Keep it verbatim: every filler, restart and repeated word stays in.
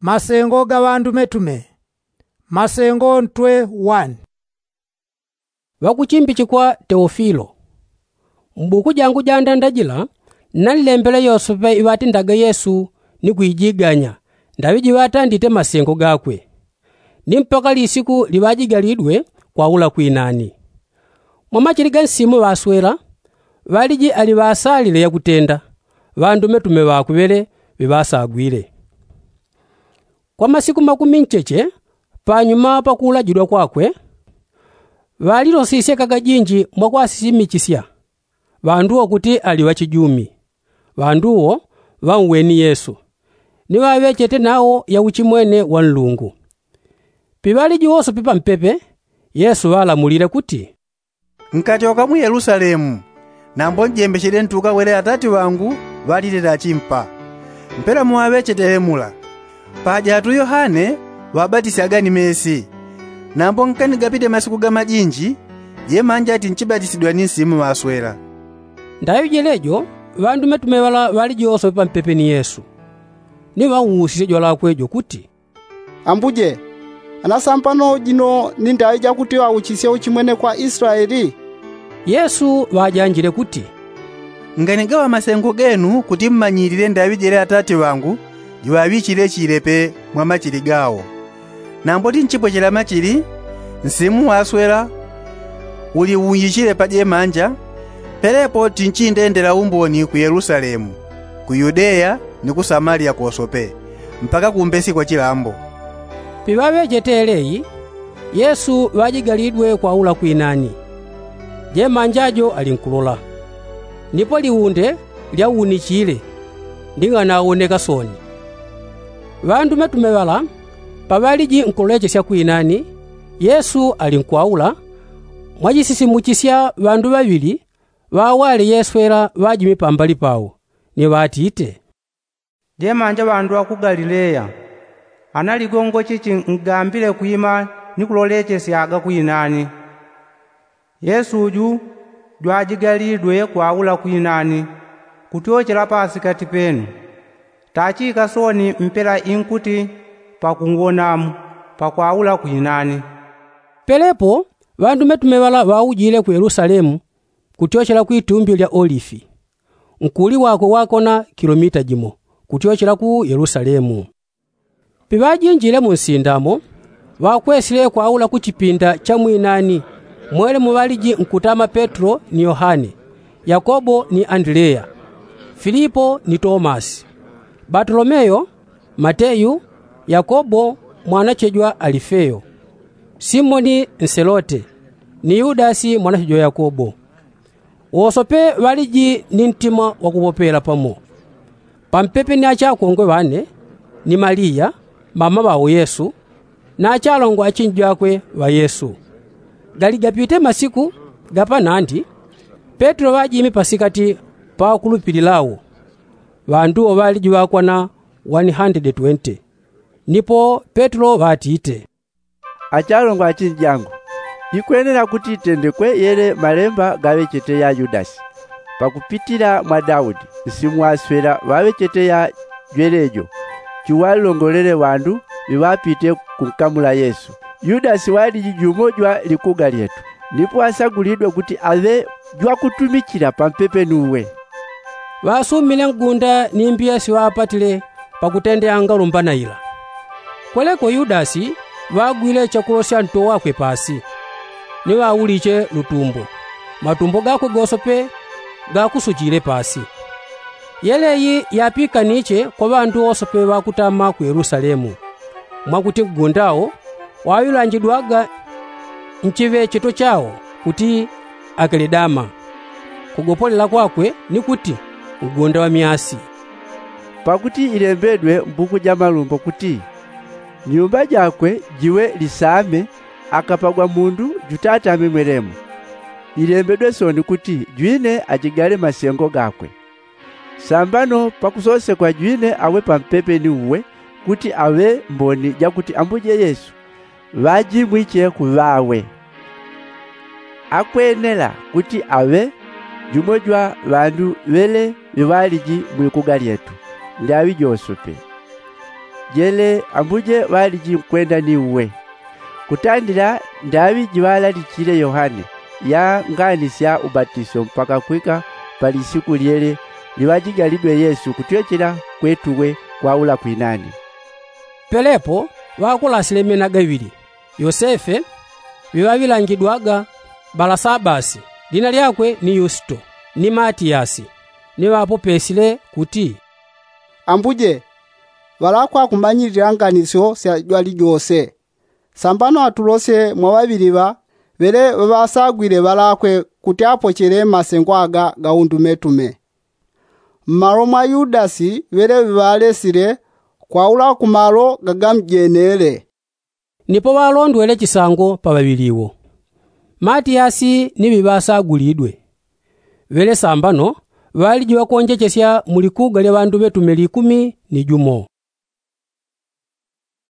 Masengo ga ŵandumetume. Masengo ntwe wani. Ŵakuchimbichikwa teofilo, m'buku jangu ja ndanda jila, nalilembele yosepe iŵatindaga yesu ni kuijiganya, ndaŵi jiŵatandite masengo gakwe, ni mpaka lisiku liŵajigalidwe kwaula kwinani. Mwamachili ga nsimu ŵaswela, ŵaliji ali ŵasalile yakutenda, ŵandumetume ŵakwe ŵele ŵiŵasagwile. Kwa masiku makumi ncheche panyuma pakuulajidwa kwakwe, ŵalilosisye kagajinji mwakwasisimichisya ŵandu wo kuti ali ŵachijumi. Ŵandu wo ŵanweni yesu, ni ŵaŵechete nawo yauchimwene wa nlungu. Piŵaliji wosope pampepe, yesu ŵalamulile kuti, nkatyoka mu yelusalemu, nambo njembechele ntuka wele atati ŵangu ŵalile nachimpa. Mpela muŵaŵechete lemula, paja atu yohane ŵabatisyaga ni mesi. Nambo nkanigapite masiku gamajinji, jemanja tinchibatisidwa ni nsimu ŵaswela. Ndaŵi jelejo, ŵandumetume ŵala ŵaliji wosope pampepe ni yesu, ni ŵauusisye jwalakwe jo kuti, ambuje, ana sambano jino ni ndaŵi jakuti ŵauchisye uchimwene kwa islaeli? Yesu ŵajanjile kuti, nganigaŵa masengo genu kuti mmanyilile ndaŵi jele atati ŵangu jiŵaŵichile chilepe mwa machili gawo. Nambo tinchipwechela machili, nsimu waswela uliwunjichile pa jemanja. Pelepo tinchindendela umboni ku yelusalemu, ku yudeya, ni ku samaliya kosope, mpaka kumbesi kwa chilambo. Piŵaŵechete eleyi, yesu ŵajigalidwe kwaula kwinani. Jemanja jo alinkulola, nipo liunde lyawunichile, ni ng'anawoneka soni. Ŵandumetume ŵala paŵaliji nkulolechesya kwinani, yesu alinkwaula, mwajisisimuchisya ŵandu ŵaŵili ŵawale yeswela ŵajimi pambali pawo, ni ŵatite, jemanja ŵandu ŵa ku galileya, ana ligongo chichi ngambile kwima ni kulolechesyaga kwinani? Yesu uju jwajigalidwe kwaula kwinani, kutyochela pasikati penu. Tachika soni mpela inkuti pakunwonamu pakwaula kwinani. Pelepo ŵandumetume ŵala ŵaujile ku yelusalemu, kutyochela kwi tumbi lya olifi, nkuli wakwe wakona kilomita jimo kutyochela ku yelusalemu. Piŵajinjile mu nsindamo, ŵakwesile kwaula ku chipinda cha mwinani, mwele muŵaliji nkutama petro ni yohane, yakobo ni andileya, filipo ni tomasi, batolomeyo, mateyu, yakobo mwanache jwa alifeyo, simoni nselote, ni yudasi mwanache jwa yakobo. Wosope ŵaliji ni ntima wakupopela pamo, pampepe ni achakongwe ŵane, ni maliya mama ŵao yesu, na achalongo achinji jakwe ŵa yesu. Galigapite masiku gapanandi, petro ŵajimi pasikati pa ŵakulupilila wo, ŵandu wo ŵaliji ŵakwana wani handede twente. Nipo petro ŵatite, achalongo achinji jangu, ikwenela kuti itendekwe yele malemba gaŵechete ya yudasi, pakupitila mwa daudi nsimu waswela ŵaŵechete ya jwelejo, chiwalongolele ŵandu ŵiŵapite kunkamula yesu. Yudasi waliji jumo jwa likuga lyetu, nipo asagulidwe kuti aŵe jwakutumichila pampepe nuwe. Ŵasumile ngunda ni mbiya siŵapatile pakutendeanga lumbana ila. Kweleko yudasi ŵagwile chakulosya nto wakwe pasi, ni ŵauliche lutumbo, matumbo gakwe gosope gakusuchile pasi. Yeleyi yapikaniche kwa ŵandu wosope ŵakutama ku yelusalemu, mwakuti ngunda wo waŵilanjidwaga nchiŵecheto chawo kuti akeledama, kugopolela kwakwe ni kuti ngunda wa myasi. Pakuti ilembedwe mbuku ja malumbo kuti, nyumba jakwe jiwe lisame, akapagwa mundu jutatame mwelemo. Ilembedwe soni kuti jwine ajigale masengo gakwe. Sambano pakusosekwa jwine awe pampepe ni uwe, kuti aŵe mboni jakuti ambuje yesu ŵajimwiche kuŵawe. Akwenela kuti aŵe jumo jwa ŵandu ŵele ŵiŵaliji mwikuga lyetu, lyaŵi josope. Jele ambuje ŵaliji nkwenda ni uwe. Kutandila ndaŵi jiŵalalichile yohane, ya ngani sya ubatiso mpaka kwika pa lisiku lyele liŵajigalidwe yesu kutwechela kwetu we kwaula kwinani. Pelepo ŵakulasile mena gaŵili, yosefe, ŵiŵaŵilangidwaga balasabasi, lina lyakwe ni yusito, ni matiyasi, ni ŵapopesile kuti, ambuje, ŵalakwa kumanyilila nganisyo sya jwalijose. Sambano atulosye mwa ŵaŵili ŵa ŵele ŵaŵasagwile ŵalakwe kuti apochele masengo aga ga undumetume. Mmalo mwa yudasi ŵele ŵiŵalesile kwaula ku malo gagamjenele. Nipo ŵalondwele chisango pa ŵaŵili wo, matiyasi ni ŵiŵasagulidwe. Ŵele sambano ŵaliji ŵakonjechesya mu likuga lya ŵanduŵetume likumi ni jumo.